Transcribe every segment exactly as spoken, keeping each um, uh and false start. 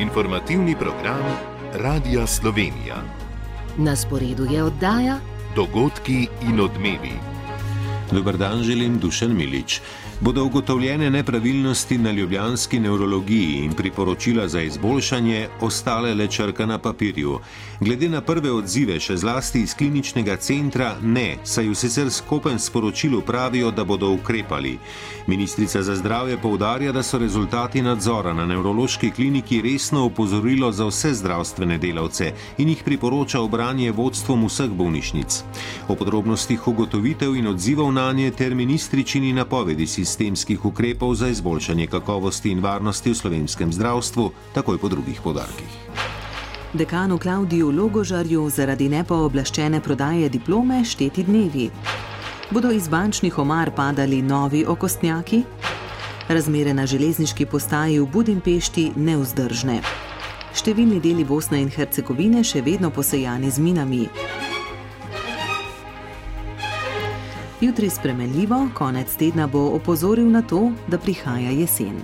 Informativni program Radia Slovenija. Na sporedu je oddaja Dogodki in odmevi. Dober dan, želim Dušan Milič. Bodo ugotovljene nepravilnosti na ljubljanski nevrologiji in priporočila za izboljšanje ostale le črka na papirju. Glede na prve odzive, še zlasti iz kliničnega centra, ne, saj v sicer skopen sporočilu pravijo, da bodo ukrepali. Ministrica za zdravje poudarja, da so rezultati nadzora na nevrološki kliniki resno opozorilo za vse zdravstvene delavce in jih priporoča obranje vodstvom vseh bolnišnic. O podrobnostih ugotovitev in odzivov nanje ter ministričini napovedi sistemskih ukrepov za izboljšanje kakovosti in varnosti v slovenskem zdravstvu, takoj po drugih poudarkih. Dekanu Klavdiju Logožarju zaradi nepooblaščene prodaje diplome šteti dnevi. Bodo iz bančnih omar padali novi okostnjaki? Razmere na železniški postaji v Budimpešti nevzdržne. Številni deli Bosne in Hercegovine še vedno posejani z minami. Jutri spremenljivo, konec tedna bo opozoril na to, da prihaja jesen.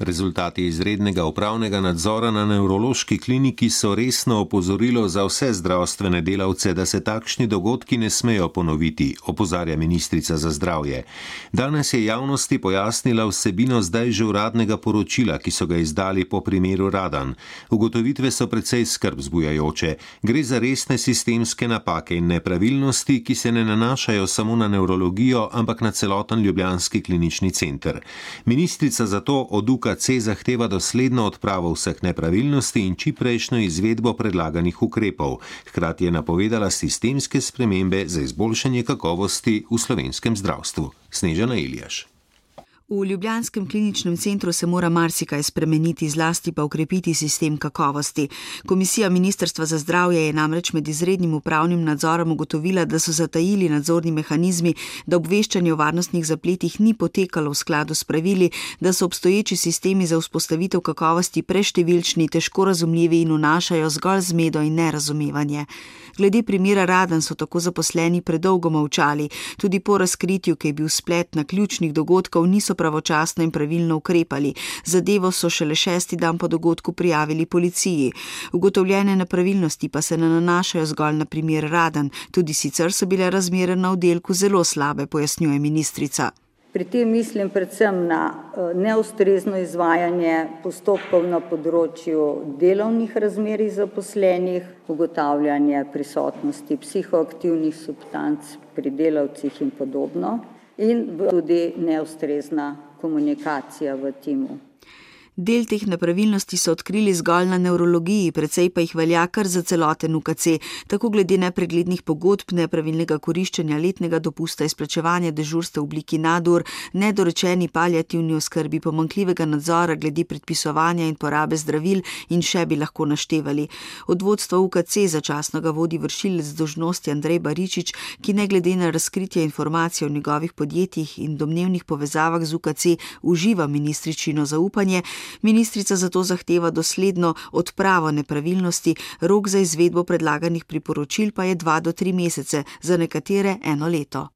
Rezultati izrednega upravnega nadzora na nevrološki kliniki so resno opozorilo za vse zdravstvene delavce, da se takšni dogodki ne smejo ponoviti, opozarja ministrica za zdravje. Danes je javnosti pojasnila vsebino zdaj že uradnega poročila, ki so ga izdali po primeru Radan. Ugotovitve so precej skrb vzbujajoče. Gre za resne sistemske napake in nepravilnosti, ki se ne nanašajo samo na nevrologijo, ampak na celoten ljubljanski klinični center. Ministrica zato od U K C zahteva dosledno odpravo vseh nepravilnosti in čiprejšnjo izvedbo predlaganih ukrepov. Hkrati je napovedala sistemske spremembe za izboljšanje kakovosti v slovenskem zdravstvu. Snežana Iljaš. V ljubljanskem kliničnem centru se mora marsikaj spremeniti, zlasti pa ukrepiti sistem kakovosti. Komisija Ministrstva za zdravje je namreč med izrednim upravnim nadzorom ugotovila, da so zatajili nadzorni mehanizmi, da obveščanje o varnostnih zapletih ni potekalo v skladu s pravili, da so obstoječi sistemi za vzpostavitev kakovosti preštevilčni, težko razumljivi in vnašajo zgolj zmedo in nerazumevanje. Glede primera Radan so tako zaposleni predolgo molčali. Tudi po razkritju, ki je bil splet na ključnih dogodkov, niso pravočasno in pravilno ukrepali. Zadevo so šele šesti dan po dogodku prijavili policiji. Ugotovljene nepravilnosti pa se ne nanašajo zgolj na primer Radan. Tudi sicer so bile razmere na oddelku zelo slabe, pojasnjuje ministrica. Pri tem mislim predvsem na neustrezno izvajanje postopkov na področju delovnih razmerij zaposlenih, ugotavljanje prisotnosti psihoaktivnih substanc pri delavcih in podobno, in tudi neustrezna komunikacija v timu. Del teh nepravilnosti so odkrili zgolj na nevrologiji, precej pa jih velja kar za celoten U K C, tako glede nepreglednih pogodb, nepravilnega koriščenja letnega dopusta, izplačevanja dežurstev v obliki nadur, nedorečeni paliativni oskrbi, pomanjkljivega nadzora glede predpisovanja in porabe zdravil in še bi lahko naštevali. Od vodstva U K C začasno ga vodi vršilec dolžnosti Andrej Baričič, ki ne glede na razkritje informacij o njegovih podjetjih in domnevnih povezavah z U K C uživa ministričino zaupanje. Ministrica zato zahteva dosledno odpravo nepravilnosti, rok za izvedbo predlaganih priporočil pa je dva do tri mesece, za nekatere eno leto.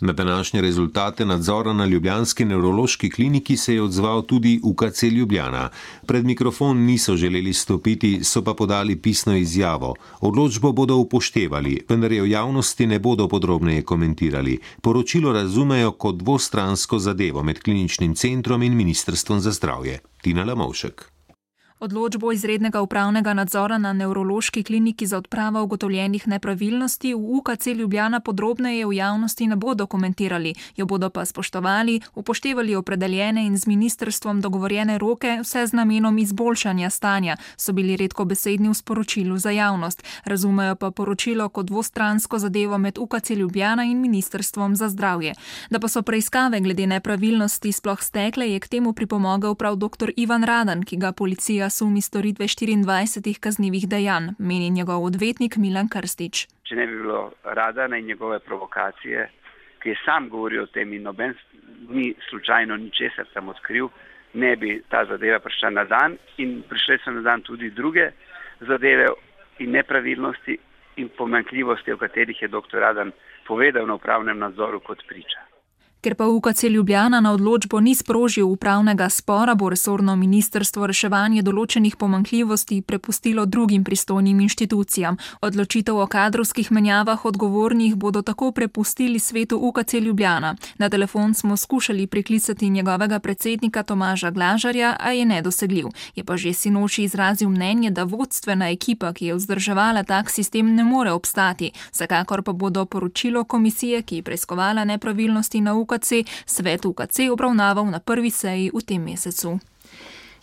Na današnje rezultate nadzora na ljubljanski nevrološki kliniki se je odzval tudi U K C Ljubljana. Pred mikrofon niso želeli stopiti, so pa podali pisno izjavo. Odločbo bodo upoštevali, vendar je v javnosti ne bodo podrobneje komentirali. Poročilo razumejo kot dvostransko zadevo med kliničnim centrom in Ministrstvom za zdravje. Tina Lamovšek. Odločbo izrednega upravnega nadzora na nevrološki kliniki za odpravo ugotovljenih nepravilnosti v U K C Ljubljana podrobneje v javnosti ne bodo komentirali, jo bodo pa spoštovali, upoštevali opredeljene in z ministrstvom dogovorjene roke, vse z namenom izboljšanja stanja, so bili redkobesedni v sporočilu za javnost. Razumejo pa poročilo kot dvostransko zadevo med U K C Ljubljana in Ministrstvom za zdravje. Da pa so preiskave glede nepravilnosti sploh stekle, je k temu pripomogel prav doktor Ivan Radan, ki ga policija sumi storitve štiriindvajsetih kaznivih dejanj, meni njegov odvetnik Milan Krstič. Če ne bi bilo Radana in njegove provokacije, ki je sam govoril o tem in noben ni slučajno ničesar tam odkril, ne bi ta zadeva prišla na dan in prišle so na dan tudi druge zadeve in nepravilnosti, in pomanjkljivosti, o katerih je doktor Radan povedal na upravnem nadzoru kot priča. Ker pa U K C Ljubljana na odločbo ni sprožil upravnega spora, bo resorno ministrstvo reševanje določenih pomanjkljivosti prepustilo drugim pristojnim inštitucijam. Odločitev o kadrovskih menjavah odgovornih bodo tako prepustili svetu U K C Ljubljana. Na telefon smo skušali priklicati njegovega predsednika Tomaža Glažarja, a je nedosegljiv. Je pa že sinoči izrazil mnenje, da vodstvena ekipa, ki je vzdrževala tak sistem, ne more obstati. Vsekakor pa bodo poročilo komisije, ki je preiskovala nepravilnosti na U K C, svet U K C obravnaval na prvi seji v tem mesecu.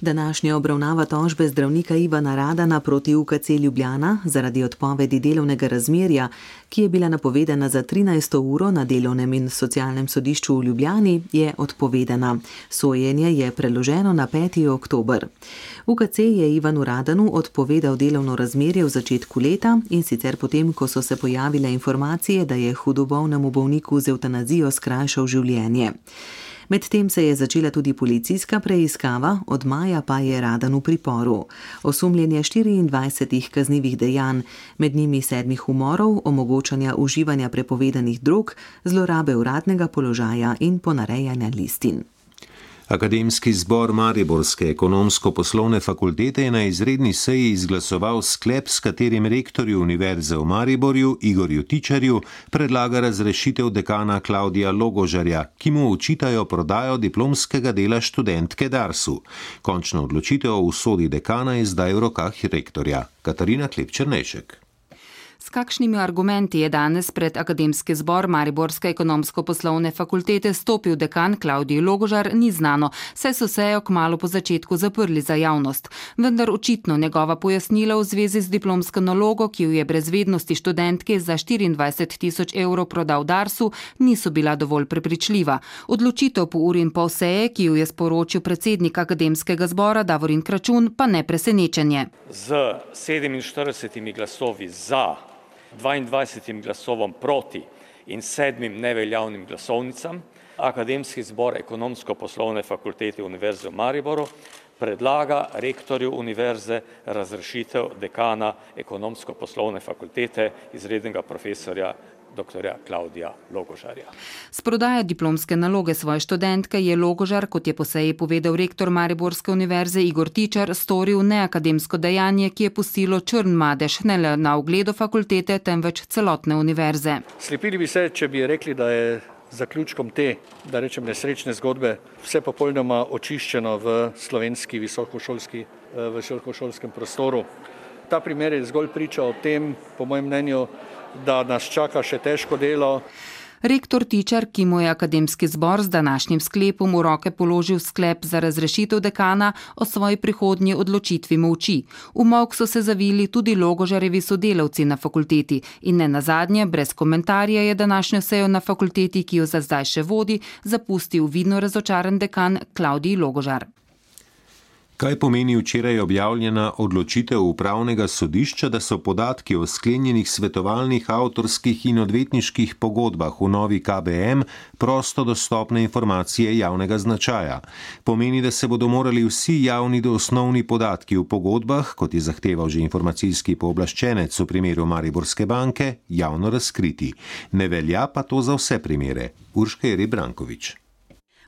Današnja obravnava tožbe zdravnika Ivana Radana proti U K C Ljubljana zaradi odpovedi delovnega razmerja, ki je bila napovedana za trinajsto uro na delovnem in socialnem sodišču v Ljubljani, je odpovedana. Sojenje je preloženo na peti oktober. U K C je Ivanu Radanu odpovedal delovno razmerje v začetku leta in sicer potem, ko so se pojavile informacije, da je hudobolnemu bolniku z evtanazijo skrajšal življenje. Medtem se je začela tudi policijska preiskava, od maja pa je Radan v priporu. Osumljen je štiriindvajsetih kaznivih dejanj, med njimi sedmih umorov, omogočanja uživanja prepovedanih drog, zlorabe uradnega položaja in ponarejanja listin. Akademski zbor Mariborske ekonomsko-poslovne fakultete je na izredni seji izglasoval sklep, s katerim rektorju Univerze v Mariborju Igorju Tičarju predlaga razrešitev dekana Klavdija Logožarja, ki mu očitajo prodajo diplomskega dela študentke Darsu. Končna odločitev o usodi dekana je zdaj v rokah rektorja. Katarina Klep-Černejšek. S kakšnimi argumenti je danes pred Akademski zbor Mariborske ekonomsko-poslovne fakultete stopil dekan Klavdij Logožar, ni znano, saj so sejo kmalu po začetku zaprli za javnost. Vendar očitno njegova pojasnila v zvezi z diplomsko nalogo, ki jo je brez vednosti študentke za štiriindvajset tisoč evrov prodal Darsu, niso bila dovolj prepričljiva. Odločitev po uri in pol seje, ki jo je sporočil predsednik Akademskega zbora Davorin Kračun, pa ne presenečenje. Z sedeminštiridesetimi glasovi za, dvaindvajsetim glasovom proti in sedmim neveljavnim glasovnicam Akademski zbor ekonomsko-poslovne fakultete Univerze v Mariboru predlaga rektorju univerze razrešitev dekana ekonomsko-poslovne fakultete izrednega profesorja doktorja Klavdija Logožarja. S prodajo diplomske naloge svoje študentke je Logožar, kot je po seji povedal rektor Mariborske univerze Igor Tičar, storil neakademsko dejanje, ki je pustilo črn madež ne le na ugledu fakultete, temveč celotne univerze. Slepili bi se, če bi rekli, da je zaključkom te, da rečem, nesrečne zgodbe vse popolnoma očiščeno v slovenski visokošolski, v visokošolskem prostoru. Ta primer je zgolj priča o tem, po mojem mnenju, da nas čaka še težko delo. Rektor Tičar, ki mu je Akademski zbor z današnjim sklepom v roke položil sklep za razrešitev dekana, o svoji prihodnji odločitvi molči. V molk so se zavili tudi Logožarjevi sodelavci na fakulteti in ne nazadnje, brez komentarja je današnjo sejo na fakulteti, ki jo za zdaj še vodi, zapustil vidno razočaran dekan Klavdij Logožar. Kaj pomeni včeraj objavljena odločitev upravnega sodišča, da so podatki o sklenjenih svetovalnih, avtorskih in odvetniških pogodbah v novi K B M prosto dostopne informacije javnega značaja? Pomeni, da se bodo morali vsi javni osnovni podatki v pogodbah, kot je zahteval že informacijski pooblaščenec v primeru Mariborske banke, javno razkriti. Ne velja pa to za vse primere. Urška Jereb Brankovič.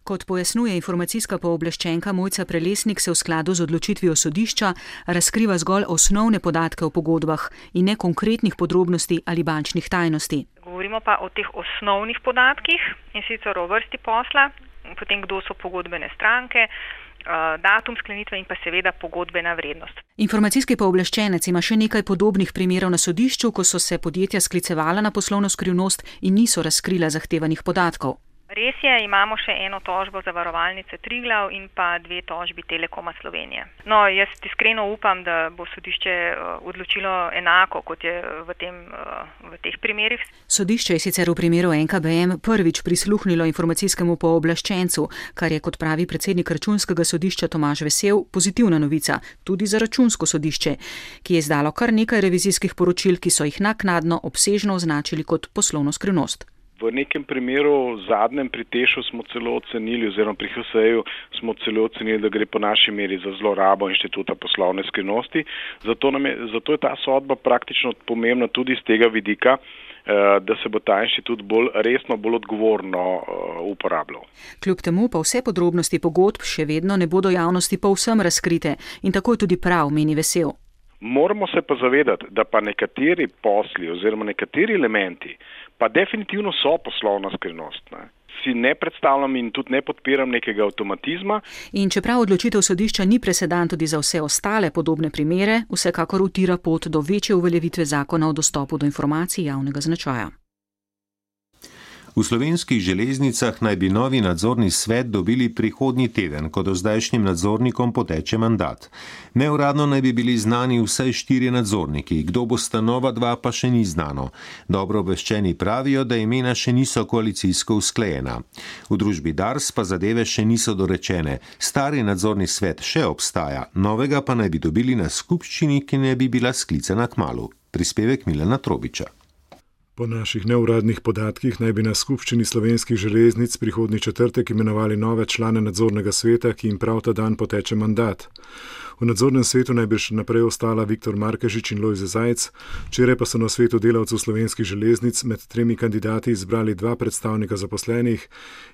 Kot pojasnjuje informacijska pooblaščenka Mojca Prelesnik, se v skladu z odločitvijo sodišča razkriva zgolj osnovne podatke o pogodbah in ne konkretnih podrobnosti ali bančnih tajnosti. Govorimo pa o teh osnovnih podatkih, in sicer o vrsti posla, potem kdo so pogodbene stranke, datum sklenitve in pa seveda pogodbena vrednost. Informacijski pooblaščenec ima še nekaj podobnih primerov na sodišču, ko so se podjetja sklicevala na poslovno skrivnost in niso razkrila zahtevanih podatkov. Res je, imamo še eno tožbo zavarovalnice Triglav in pa dve tožbi Telekoma Slovenije. No, jaz iskreno upam, da bo sodišče odločilo enako, kot je v, tem, v teh primerih. Sodišče je sicer v primeru N K B M prvič prisluhnilo informacijskemu pooblaščencu, kar je, kot pravi predsednik Računskega sodišča Tomaž Vesel, pozitivna novica, tudi za Računsko sodišče, ki je izdalo kar nekaj revizijskih poročil, ki so jih naknadno obsežno označili kot poslovno skrivnost. V nekem primeru, zadnjem pri Tešu smo celo ocenili, oziroma pri H S E-ju smo celo ocenili, da gre po naši meri za zlorabo inštituta poslovne skrivnosti. Zato, nam je, zato je ta sodba praktično pomembna tudi iz tega vidika, da se bo ta inštitut bolj resno, bolj odgovorno uporabljal. Kljub temu pa vse podrobnosti pogodb še vedno ne bodo javnosti povsem razkrite in tako je tudi prav, meni Vesel. Moramo se pa zavedati, da pa nekateri posli oziroma nekateri elementi pa definitivno so poslovna skrivnost. Ne? Si ne predstavljam in tudi ne podpiram nekega avtomatizma. In čeprav odločitev sodišča ni presedan tudi za vse ostale podobne primere, vsekakor utira pot do večje uveljavitve zakona o dostopu do informacij javnega značaja. V Slovenskih železnicah naj bi novi nadzorni svet dobili prihodnji teden, ko dozdajšnjim nadzornikom poteče mandat. Neuradno naj bi bili znani vsaj štirje nadzorniki, kdo bo sta nova dva, pa še ni znano. Dobro obveščeni pravijo, da imena še niso koalicijsko usklajena. V družbi Dars pa zadeve še niso dorečene. Stari nadzorni svet še obstaja, novega pa naj bi dobili na skupščini, ki ne bi bila sklicana kmalu. Prispevek Milana Trobiča. Po naših neuradnih podatkih naj bi na skupščini Slovenskih železnic prihodnji četrtek imenovali nove člane nadzornega sveta, ki jim prav ta dan poteče mandat. V nadzornem svetu naj bi še naprej ostala Viktor Markežič in Lojze Zajc, včeraj pa so na svetu delavcev Slovenskih železnic med tremi kandidati izbrali dva predstavnika zaposlenih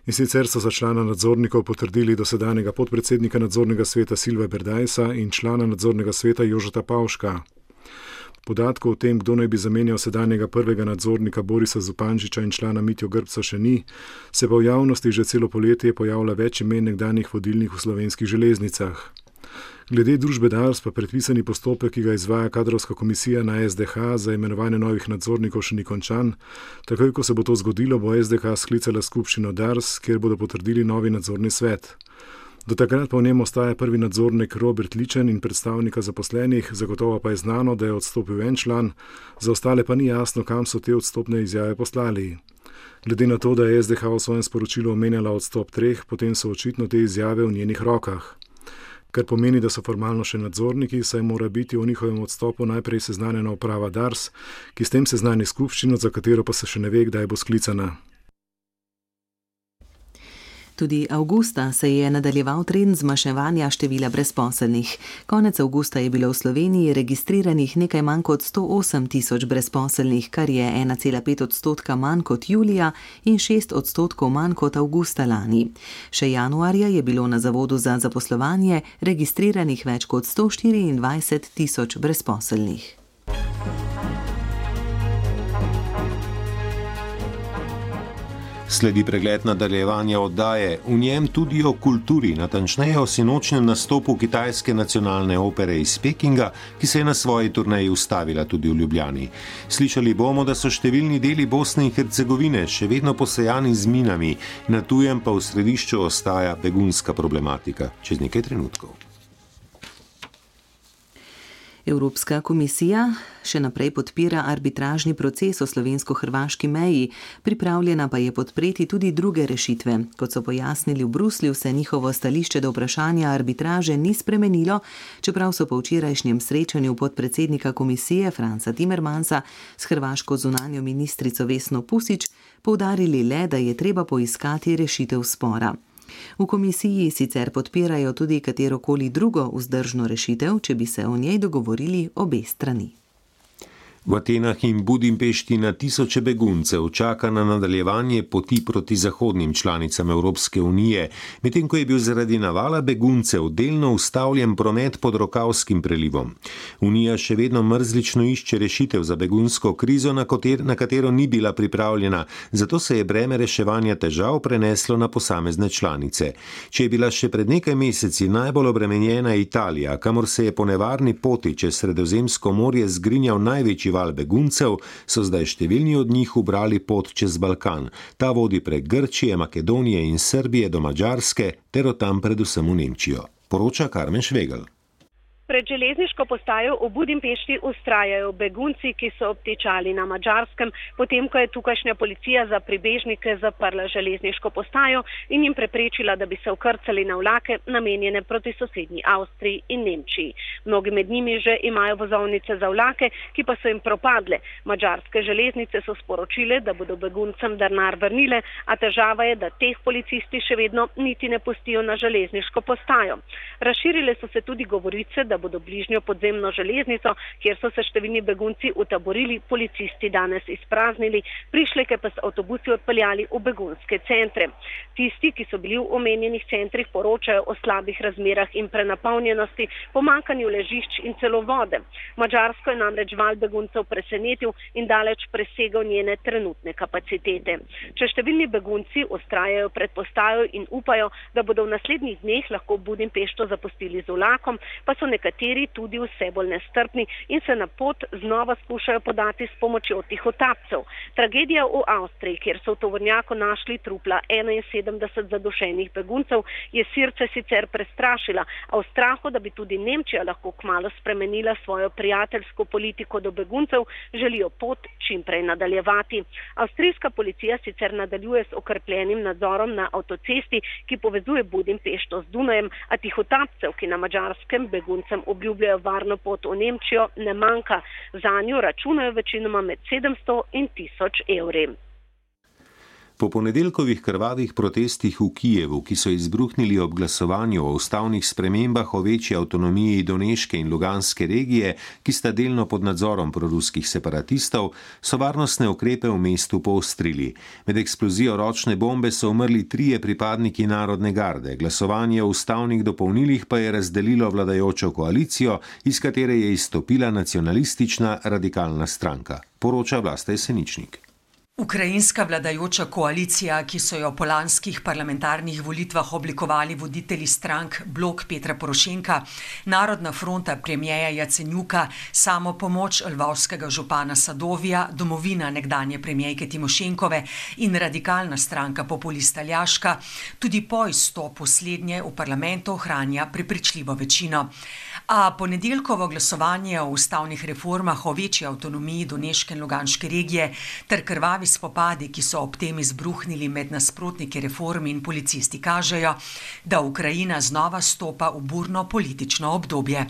in sicer so za člana nadzornikov potrdili dosedanjega podpredsednika nadzornega sveta Silva Berdajsa in člana nadzornega sveta Jožeta Pavška. Podatkov o tem, kdo naj bi zamenjal sedanjega prvega nadzornika Borisa Zupančiča in člana Mitjo Grbca še ni, se pa v javnosti že celo poletje pojavlja več imen nekdanjih vodilnih v Slovenskih železnicah. Glede družbe Dars pa predpisani postopek, ki ga izvaja kadrovska komisija na S D H za imenovanje novih nadzornikov še ni končan. Takoj, ko se bo to zgodilo, bo S D H sklicala skupščino Dars, kjer bodo potrdili novi nadzorni svet. Do takrat pa v njem ostaja prvi nadzornik Robert Ličen in predstavnika zaposlenih, zagotovo pa je znano, da je odstopil en član, za ostale pa ni jasno, kam so te odstopne izjave poslali. Glede na to, da je S D H v svojem sporočilu omenjala odstop treh, potem so očitno te izjave v njenih rokah. Kar pomeni, da so formalno še nadzorniki, saj mora biti o njihovem odstopu najprej seznanjena uprava Dars, ki s tem seznani skupščino, za katero pa se še ne ve, kdaj bo sklicana. Tudi avgusta se je nadaljeval trend zmanjševanja števila brezposelnih. Konec avgusta je bilo v Sloveniji registriranih nekaj manj kot sto osem tisoč brezposelnih, kar je ena cela pet odstotka manj kot julija in šest odstotkov manj kot avgusta lani. Še januarja je bilo na Zavodu za zaposlovanje registriranih več kot sto štiriindvajset tisoč brezposelnih. Sledi pregled nadaljevanja oddaje, v njem tudi o kulturi, natančneje o sinočnem nastopu kitajske nacionalne opere iz Pekinga, ki se je na svoji turneji ustavila tudi v Ljubljani. Slišali bomo, da so številni deli Bosne in Hercegovine še vedno posejani z minami, na tujem pa v središču ostaja begunska problematika. Čez nekaj trenutkov. Evropska komisija še naprej podpira arbitražni proces o slovensko-hrvaški meji, pripravljena pa je podpreti tudi druge rešitve. Kot so pojasnili v Bruslju, se njihovo stališče do vprašanja arbitraže ni spremenilo, čeprav so po včerajšnjem srečanju podpredsednika komisije Franca Timmermansa s hrvaško zunanjo ministrico Vesno Pusić poudarili le, da je treba poiskati rešitev spora. V komisiji sicer podpirajo tudi katerokoli drugo vzdržno rešitev, če bi se o njej dogovorili obe strani. V Atenah in Budimpešti na tisoče beguncev čaka na nadaljevanje poti proti zahodnim članicam Evropske unije, medtem ko je bil zaradi navala beguncev delno ustavljen promet pod Rokavskim prelivom. Unija še vedno mrzlično išče rešitev za begunsko krizo, na, koter, na katero ni bila pripravljena, zato se je breme reševanja težav preneslo na posamezne članice. Če je bila še pred nekaj meseci najbolj obremenjena Italija, kamor se je po nevarni poti čez Sredozemsko morje zgrinjal največji val beguncev, so zdaj številni od njih ubrali pot čez Balkan. Ta vodi prek Grčije, Makedonije in Srbije do Madžarske ter od tam predvsem v Nemčijo. Poroča Karmen Švegel. Pred železniško postajo v Budimpešti ustrajajo begunci, ki so obtičali na Madžarskem, potem ko je tukajšnja policija za pribežnike zaprla železniško postajo in jim preprečila, da bi se vkrcali na vlake, namenjene proti sosednji Avstriji in Nemčiji. Mnogi med njimi že imajo vozovnice za vlake, ki pa so jim propadle. Madžarske železnice so sporočile, da bodo beguncem denar vrnile, a težava je, da teh policisti še vedno niti ne pustijo na železniško postajo. Razširile so se tudi govorice, da bodo bližnjo podzemno železnico, kjer so se številni begunci utaborili, policisti danes izpraznili, prišleke pa s avtobusi odpeljali v begunske centre. Tisti, ki so bili v omenjenih centrih, poročajo o slabih razmerah in prenapolnjenosti, pomankanju ležišč in celo vode. Madžarsko je namreč val beguncev presenetil in daleč presegal njene trenutne kapacitete. Če številni begunci ustrajajo pred postajo in upajo, da bodo v naslednjih dneh lahko Budimpešto zapustili z vlakom, pa so nekateri Nekateri tudi vse bolj nestrpni in se na pot znova skušajo podati s pomočjo tihotapcev. Tragedija v Avstriji, kjer so v tovornjaku našli trupla enainsedemdeset zadušenih beguncev, je Sirce sicer prestrašila, a v strahu, da bi tudi Nemčija lahko kmalu spremenila svojo prijateljsko politiko do beguncev, želijo pot čim prej nadaljevati. Avstrijska policija sicer nadaljuje s okrepljenim nadzorom na avtocesti, ki povezuje Budimpešto z Dunajem, a tihotapcev, ki na Madžarskem beguncem obljubljajo varno pot v Nemčijo, ne manjka. Zanjo računajo večinoma med sedemsto in tisoč evri. Po ponedeljkovih krvavih protestih v Kijevu, ki so izbruhnili ob glasovanju o ustavnih spremembah o večji avtonomiji Doneške in Luganske regije, ki sta delno pod nadzorom proruskih separatistov, so varnostne ukrepe v mestu poostrili. Med eksplozijo ročne bombe so umrli trije pripadniki Narodne garde. Glasovanje o ustavnih dopolnilih pa je razdelilo vladajočo koalicijo, iz katere je izstopila nacionalistična radikalna stranka. Poroča Vlasta Jeseničnik. Ukrajinska vladajoča koalicija, ki so jo po lanskih parlamentarnih volitvah oblikovali voditelji strank Blok Petra Porošenka, Narodna fronta premijeja Jacenjuka, Samopomoč lvovskega župana Sadovija, Domovina nekdanje premijejke Timošenkove in radikalna stranka populista Ljaška, tudi po izstopu slednje v parlamentu ohranja prepričljivo večino. A ponedeljkovo glasovanje o ustavnih reformah o večji avtonomiji Doneške in Luganske regije ter krvavi spopadi, ki so ob tem izbruhnili med nasprotniki reform in policisti, kažejo, da Ukrajina znova stopa v burno politično obdobje.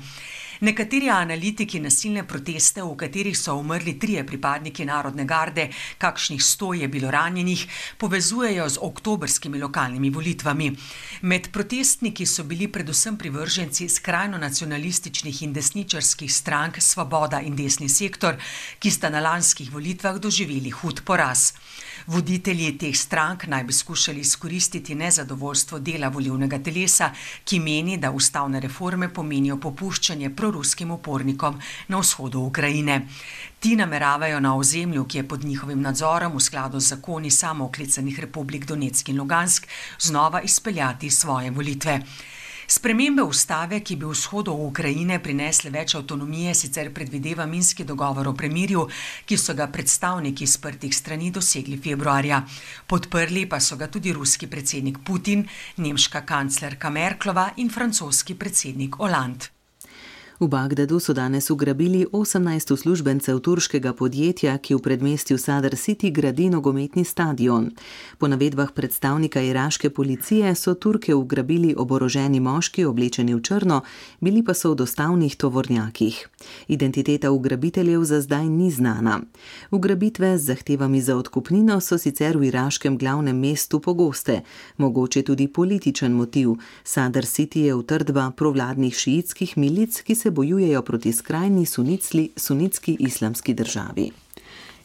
Nekateri analitiki nasilne proteste, v katerih so umrli trije pripadniki Narodne garde, kakšnih sto je bilo ranjenih, povezujejo z oktobrskimi lokalnimi volitvami. Med protestniki so bili predvsem privrženci skrajno nacionalističnih in desničarskih strank Svoboda in Desni sektor, ki sta na lanskih volitvah doživeli hud poraz. Voditelji teh strank naj bi skušali izkoristiti nezadovoljstvo dela volilnega telesa, ki meni, da ustavne reforme pomenijo popuščanje proruskim upornikom na vzhodu Ukrajine. Ti nameravajo na ozemlju, ki je pod njihovim nadzorom v skladu z zakoni samooklicanih republik Donetsk in Lugansk, znova izpeljati svoje volitve. Spremembe ustave, ki bi vzhodu Ukrajine prinesle več avtonomije, sicer predvideva minski dogovor o premirju, ki so ga predstavniki sprtih strani dosegli februarja. Podprli pa so ga tudi ruski predsednik Putin, nemška kanclerka Merklova in francoski predsednik Hollande. V Bagdadu so danes ugrabili osemnajst uslužbencev turškega podjetja, ki v predmestju Sadr City gradi nogometni stadion. Po navedbah predstavnika iraške policije so Turke ugrabili oboroženi moški oblečeni v črno, bili pa so v dostavnih tovornjakih. Identiteta ugrabiteljev za zdaj ni znana. Ugrabitve z zahtevami za odkupnino so sicer v iraškem glavnem mestu pogoste, mogoče tudi političen motiv. Sadr City je utrdba provladnih šiitskih milic, ki se bojujejo proti skrajni sunitski, sunitski islamski državi.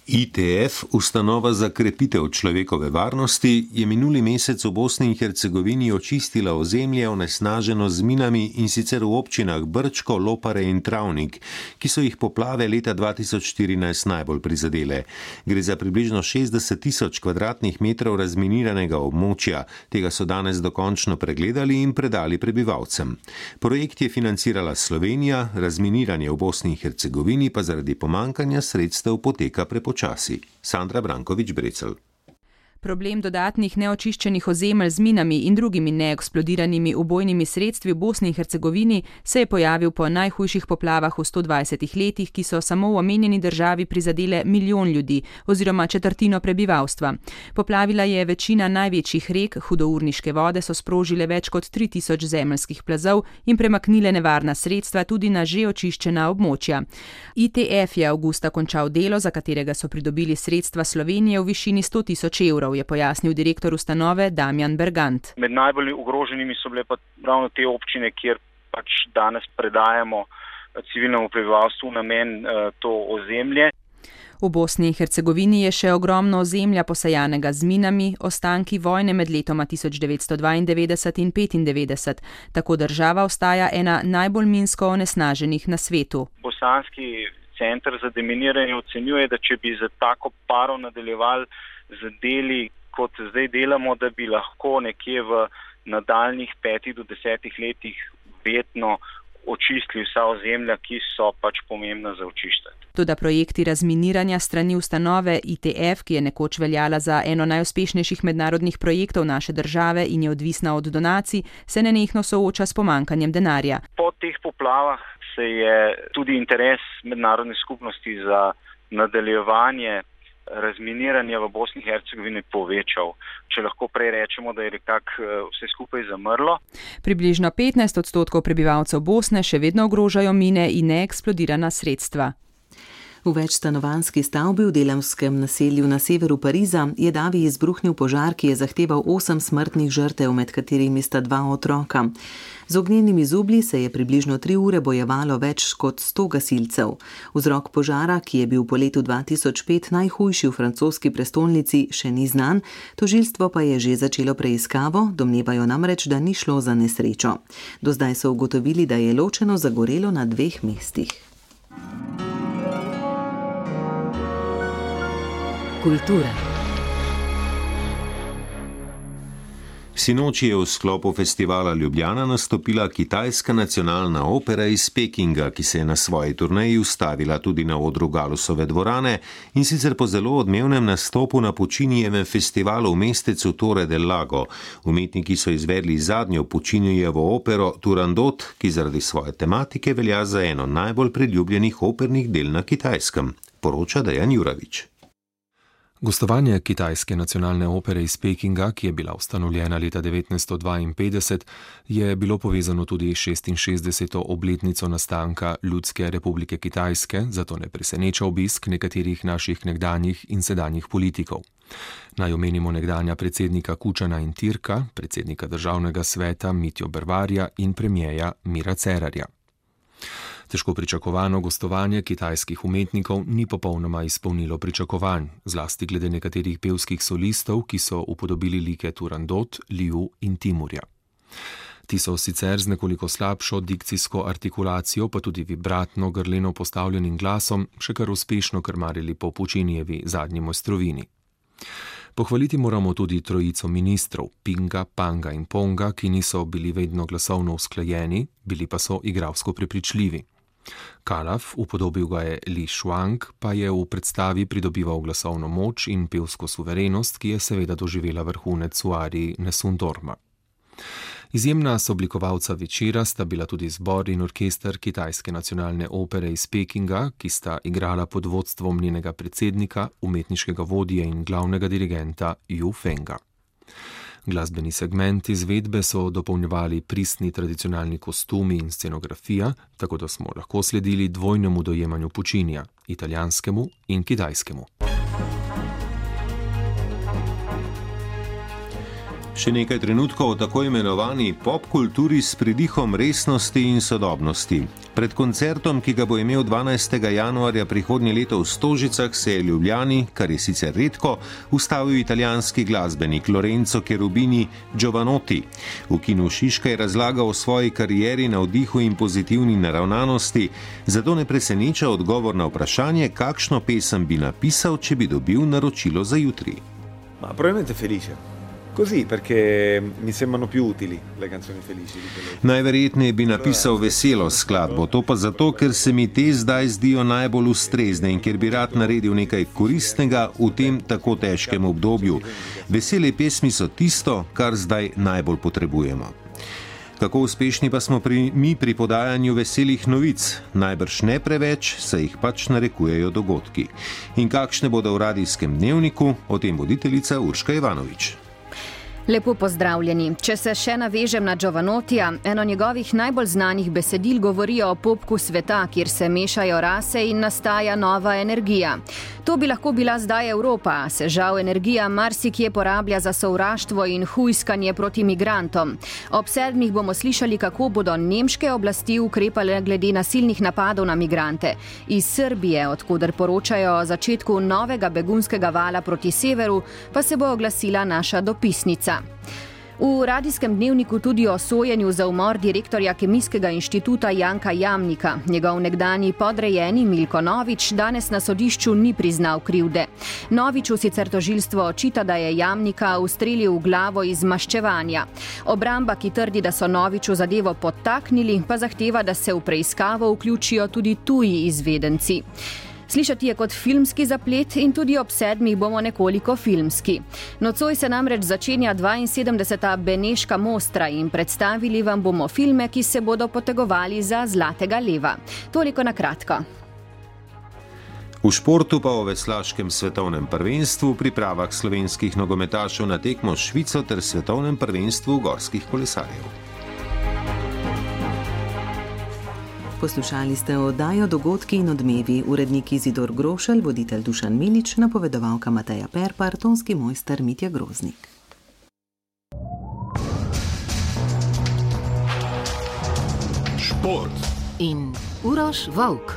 I T F, ustanova za krepitev človekove varnosti, je minuli mesec v Bosni in Hercegovini očistila ozemlje onesnaženo z minami in sicer v občinah Brčko, Lopare in Travnik, ki so jih poplave leta dva tisoč štirinajst najbolj prizadele. Gre za približno šestdeset tisoč kvadratnih metrov razminiranega območja, tega so danes dokončno pregledali in predali prebivalcem. Projekt je financirala Slovenija, razminiranje v Bosni in Hercegovini pa zaradi pomankanja sredstev poteka prepočasno. Časi. Sandra Brankovič-Brecelj. Problem dodatnih neočiščenih ozemelj z minami in drugimi neeksplodiranimi ubojnimi sredstvi v Bosni in Hercegovini se je pojavil po najhujših poplavah v sto dvajsetih letih, ki so samo v omenjeni državi prizadele milijon ljudi oziroma četrtino prebivalstva. Poplavila je večina največjih rek, hudourniške vode so sprožile več kot tri tisoč zemeljskih plazov in premaknile nevarna sredstva tudi na že očiščena območja. I T F je avgusta končal delo, za katerega so pridobili sredstva Slovenije v višini sto tisoč evrov, je pojasnil direktor ustanove Damjan Bergant. Med najbolj ogroženimi so bile pa ravno te občine, kjer pač danes predajamo civilnemu prebivalstvu namen to ozemlje. V Bosni in Hercegovini je še ogromno ozemlja posajanega z minami, ostanki vojne med letoma tisoč devetsto dvaindevetdeset in petindevetdeset. Tako država ostaja ena najbolj minsko onesnaženih na svetu. Bosanski center za deminiranje ocenjuje, da če bi za tako paro nadaljevali z deli, kot zdaj delamo, da bi lahko nekje v nadaljnih petih do desetih letih vedno očistili vsa ozemlja, ki so pač pomembna za očiščenje. Toda projekti razminiranja strani ustanove I T F, ki je nekoč veljala za eno najuspešnejših mednarodnih projektov naše države in je odvisna od donacij, se nenehno sooča s pomankanjem denarja. Po teh poplavah se je tudi interes mednarodne skupnosti za nadaljevanje razminiranja v Bosni in Hercegovini povečal. Če lahko prej rečemo, da je nekako vse skupaj zamrlo. Približno petnajst odstotkov prebivalcev Bosne še vedno ogrožajo mine in neeksplodirana sredstva. V večstanovanjski stavbi v delavskem naselju na severu Pariza je davi izbruhnil požar, ki je zahteval osem smrtnih žrtev, med katerimi sta dva otroka. Z ognjenimi zublji se je približno tri ure bojevalo več kot sto gasilcev. Vzrok požara, ki je bil po letu dva tisoč pet najhujši v francoski prestolnici, še ni znan, tožilstvo pa je že začelo preiskavo, domnevajo namreč, da ni šlo za nesrečo. Do zdaj so ugotovili, da je ločeno zagorelo na dveh mestih. Kultura. Sinoči je v sklopu festivala Ljubljana nastopila Kitajska nacionalna opera iz Pekinga, ki se je na svoji turneji ustavila tudi na odru Galusove dvorane in sicer po zelo odmevnem nastopu na Puccinijevem festivalu v mestecu Torre del Lago. Umetniki so izvedli zadnjo Puccinijevo opero Turandot, ki zaradi svoje tematike velja za eno najbolj priljubljenih opernih del na Kitajskem, poroča Dejan Juravič. Gostovanje Kitajske nacionalne opere iz Pekinga, ki je bila ustanovljena leta devetnajststo dvainpetdeset, je bilo povezano tudi s šestinšestdeseto obletnico nastanka Ljudske republike Kitajske, zato ne preseneča obisk nekaterih naših nekdanjih in sedanjih politikov. Naj omenimo nekdanja predsednika Kučana in Tirka, predsednika državnega sveta Mitjo Bervarja in premijeja Mira Cerarja. Težko pričakovano gostovanje kitajskih umetnikov ni popolnoma izpolnilo pričakovanj, zlasti glede nekaterih pevskih solistov, ki so upodobili like Turandot, Liu in Timurja. Ti so sicer z nekoliko slabšo dikcijsko artikulacijo, pa tudi vibratno grleno postavljenim glasom, še kar uspešno krmarili po Puccinijevi zadnji mojstrovini. Pohvaliti moramo tudi trojico ministrov, Pinga, Panga in Ponga, ki niso bili vedno glasovno usklajeni, bili pa so igralsko prepričljivi. Kalaf, upodobil ga je Li Shuang, pa je v predstavi pridobival glasovno moč in pevsko suverenost, ki je seveda doživela vrhunec v ariji Nessun Dorma. Izjemna soblikovalca večera sta bila tudi zbor in orkester Kitajske nacionalne opere iz Pekinga, ki sta igrala pod vodstvom njenega predsednika, umetniškega vodje in glavnega dirigenta Yu Fenga. Glasbeni segment izvedbe so dopolnjevali pristni tradicionalni kostumi in scenografija, tako da smo lahko sledili dvojnemu dojemanju Puccinija, italijanskemu in kitajskemu. Še nekaj trenutkov o tako imenovani popkulturi s pridihom resnosti in sodobnosti. Pred koncertom, ki ga bo imel dvanajstega januarja prihodnje leto v Stožicah, se je v Ljubljani, kar je sicer redko, ustavil italijanski glasbenik Lorenzo Cherubini Giovanotti. V kinu Šiška je razlagal o svoji karieri, navdihu in pozitivni naravnanosti, zato ne preseneča odgovor na vprašanje, kakšno pesem bi napisal, če bi dobil naročilo za jutri. Ma probabilmente felice. così, perché mi sembrano più utili le canzoni felici di quelle. Najverjetneje bi napisal veselo skladbo, to pa zato, ker se mi te zdaj zdijo najbolj ustrezne in ker bi rad naredil nekaj koristnega v tem tako težkem obdobju. Vesele pesmi so tisto, kar zdaj najbolj potrebujemo. Kako uspešni pa smo pri, mi pri podajanju veselih novic? Najbrž ne preveč, saj jih pač narekujejo dogodki. In kakšne bodo v radijskem dnevniku, o tem voditeljica Urška Ivanovič. Lepo pozdravljeni. Če se še navežem na Giovanotija, eno njegovih najbolj znanih besedil govori o popku sveta, kjer se mešajo rase in nastaja nova energija. To bi lahko bila zdaj Evropa, se žal energija marsikje porablja za sovraštvo in hujskanje proti migrantom. Ob sedmih bomo slišali, kako bodo nemške oblasti ukrepale glede nasilnih napadov na migrante. Iz Srbije, odkuder poročajo o začetku novega begunskega vala proti severu, pa se bo oglasila naša dopisnica. V radijskem dnevniku tudi o sojenju za umor direktorja Kemijskega inštituta Janka Jamnika. Njegov nekdanji podrejeni Milko Novič danes na sodišču ni priznal krivde. Noviču sicer tožilstvo očita, da je Jamnika ustrelil v glavo iz maščevanja. Obramba, ki trdi, da so Noviču zadevo podtaknili, pa zahteva, da se v preiskavo vključijo tudi tuji izvedenci. Slišati je kot filmski zaplet in tudi ob sedmih bomo nekoliko filmski. Nocoj se namreč začenja dvainsedemdeseta Beneška Mostra in predstavili vam bomo filme, ki se bodo potegovali za Zlatega leva. Toliko na kratko. V športu pa o veslaškem svetovnem prvenstvu, pripravah slovenskih nogometašev na tekmo s Švico ter svetovnem prvenstvu gorskih kolesarjev. Poslušali ste oddajo Dogodki in odmevi, urednik Izidor Grošelj, voditelj Dušan Milič, napovedovalka Mateja Perpar, tonski mojster Mitja Groznik. Šport in Uroš Volk.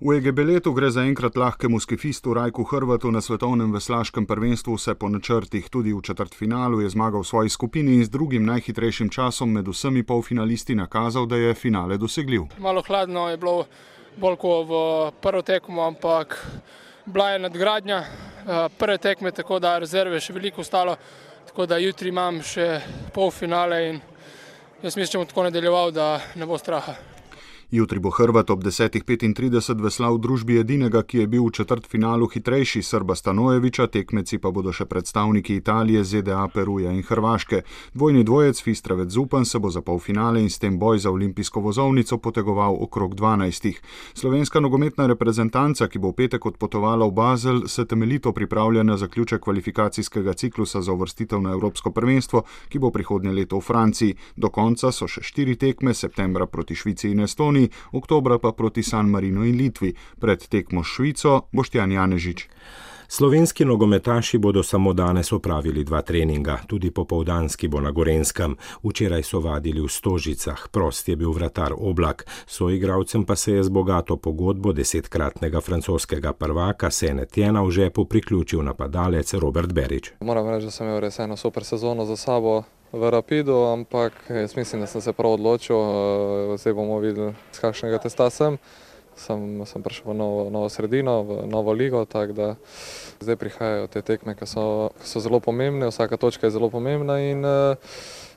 V Egebeletu gre za enkrat lahkemu skifistu Rajku Hrvatu na svetovnem veslaškem prvenstvu vse po načrtih. Tudi v četrtfinalu je zmagal v svoji skupini in z drugim najhitrejšim časom med vsemi polfinalisti nakazal, da je finale dosegljiv. Malo hladno je bilo bolj kot v prvo tekmo, ampak bila je nadgradnja prve tekme, tako da rezerve še veliko ostalo, tako da jutri imam še polfinale in jaz mislim, da bom tako nadaljeval, da ne bo straha. Jutri bo Hrvat ob desetih petintrideset veslal v družbi edinega, ki je bil v četrtfinalu hitrejši, Srba Stanojevića, tekmeci pa bodo še predstavniki Italije, Z D A, Peruja in Hrvaške. Dvojni dvojec Fistravec Zupan se bo za polfinale in s tem boj za olimpijsko vozovnico potegoval okrog dvanajstih. Slovenska nogometna reprezentanca, ki bo v petek odpotovala v Basel, se temeljito pripravlja na zaključek kvalifikacijskega ciklusa za uvrstitev na Evropsko prvenstvo, ki bo prihodnje leto v Franciji. Do konca so še štiri tekme, septembra proti Švici in Estoniji, oktobra pa proti San Marinu in Litvi. Pred tekmo s Švico Boštjan Janežič. Slovenski nogometaši bodo samo danes opravili dva treninga, tudi popoldanski bo na Gorenskem. Včeraj so vadili v Stožicah, prost je bil vratar Oblak, soigralcem pa se je z bogato pogodbo desetkratnega francoskega prvaka Senetjena v žepu priključil napadalec Robert Berić. Moram reči, da sem imel res eno super sezono za sabo v Rapidu, ampak jaz mislim, da sem se prav odločil, zdaj bomo videli, z kakšnega testa sem. Sem, sem prišel v novo, novo sredino, v novo ligo, tako da zdaj prihajajo te tekme, ki so, so zelo pomembne, vsaka točka je zelo pomembna in uh,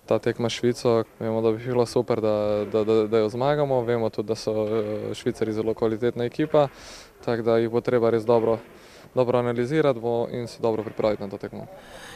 ta tekma s Švico, vemo, da bi bilo super, da, da, da, da jo zmagamo, vemo tudi, da so Švicari zelo kvalitetna ekipa, tako da jih bo treba res dobro, dobro analizirati bo in se dobro pripraviti na to tekmo.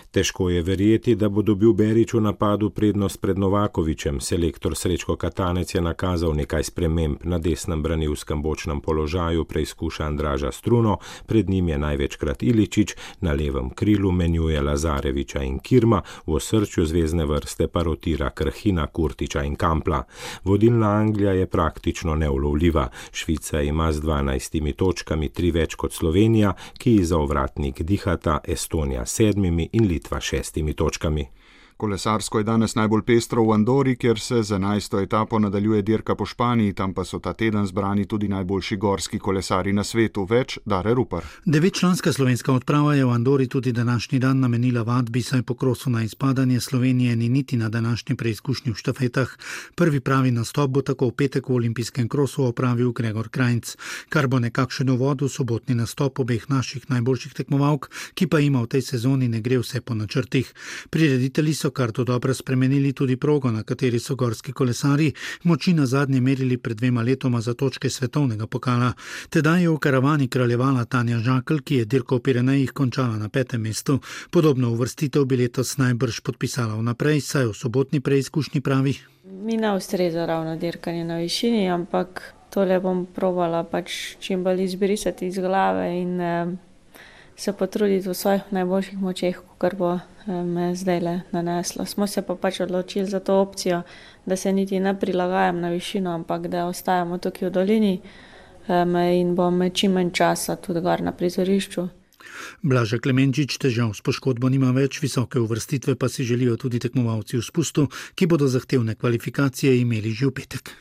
Težko je verjeti, da bo dobil Berić v napadu prednost pred Novakovićem. Selektor Srečko Katanec je nakazal nekaj sprememb. Na desnem branilskem bočnem položaju preizkuša Andraža Struno, pred njim je največkrat Iličić, na levem krilu menjuje Lazarevića in Kirma, v osrčju zvezne vrste pa rotira Krhina, Kurtića in Kampla. Vodilna Anglija je praktično neulovljiva. Švica ima z dvanajstimi točkami tri več kot Slovenija, ki ji za ovratnik dihata, Estonija sedmimi in Litva šestimi točkami. Kolesarsko je danes najbolj pestro v Andori, kjer se z enajsto etapo nadaljuje dirka po Španiji, tam pa so ta teden zbrani tudi najboljši gorski kolesari na svetu. Več Dare Rupar. Devetčlanska slovenska odprava je v Andori tudi današnji dan namenila vadbi, saj po krosu na izpadanje Slovenije ni niti na današnji preizkušnji v štafetah. Prvi pravi nastop bo tako v petek v olimpijskem krosu opravil Gregor Krajnc, kar bo nekakšen uvod v sobotni nastop obeh naših najboljših tekmovalk, ki pa ima v tej sezoni ne gre vse po načrtih. Prireditelji so kar to dobro spremenili tudi progo, na kateri so gorski kolesari moči na zadnje merili pred dvema letoma za točke svetovnega pokala. Tedaj je v karavani kraljevala Tanja Žakelj, ki je dirko v Pirenejih končala na petem mestu. Podobno uvrstitev bi letos najbrž podpisala vnaprej, saj v sobotni preizkušnji pravi: Mi ne ustreza ravno dirkanje na višini, ampak tole bom probala pač čim bolj izbrisati iz glave in eh, se potruditi v svojih najboljših močeh, kar bo eh, me zdajle naneslo. Smo se pa pač odločili za to opcijo, da se niti ne prilagajam na višino, ampak da ostajamo tukaj v dolini eh, in bom čim manj časa tudi gor na prizorišču. Blaža Klemenčič težav s poškodbo nima več, visoke uvrstitve pa si želijo tudi tekmovalci v spustu, ki bodo zahtevne kvalifikacije imeli že v petek.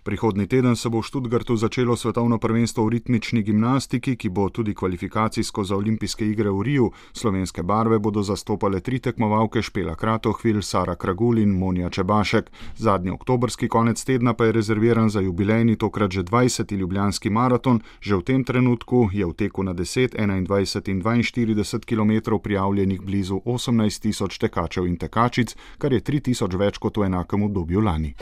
Prihodnji teden se bo v Stuttgartu začelo svetovno prvenstvo v ritmični gimnastiki, ki bo tudi kvalifikacijsko za olimpijske igre v Riju. Slovenske barve bodo zastopale tri tekmovalke: Špela Kratohvil, Sara Kragul in Monja Čebašek. Zadnji oktobrski konec tedna pa je rezerviran za jubilejni, tokrat že dvajseti ljubljanski maraton. Že v tem trenutku je v teku na deset, enaindvajset in dvainštirideset kilometrov prijavljenih blizu osemnajst tisoč tekačev in tekačic, kar je tri tisoč več kot v enakem obdobju lani.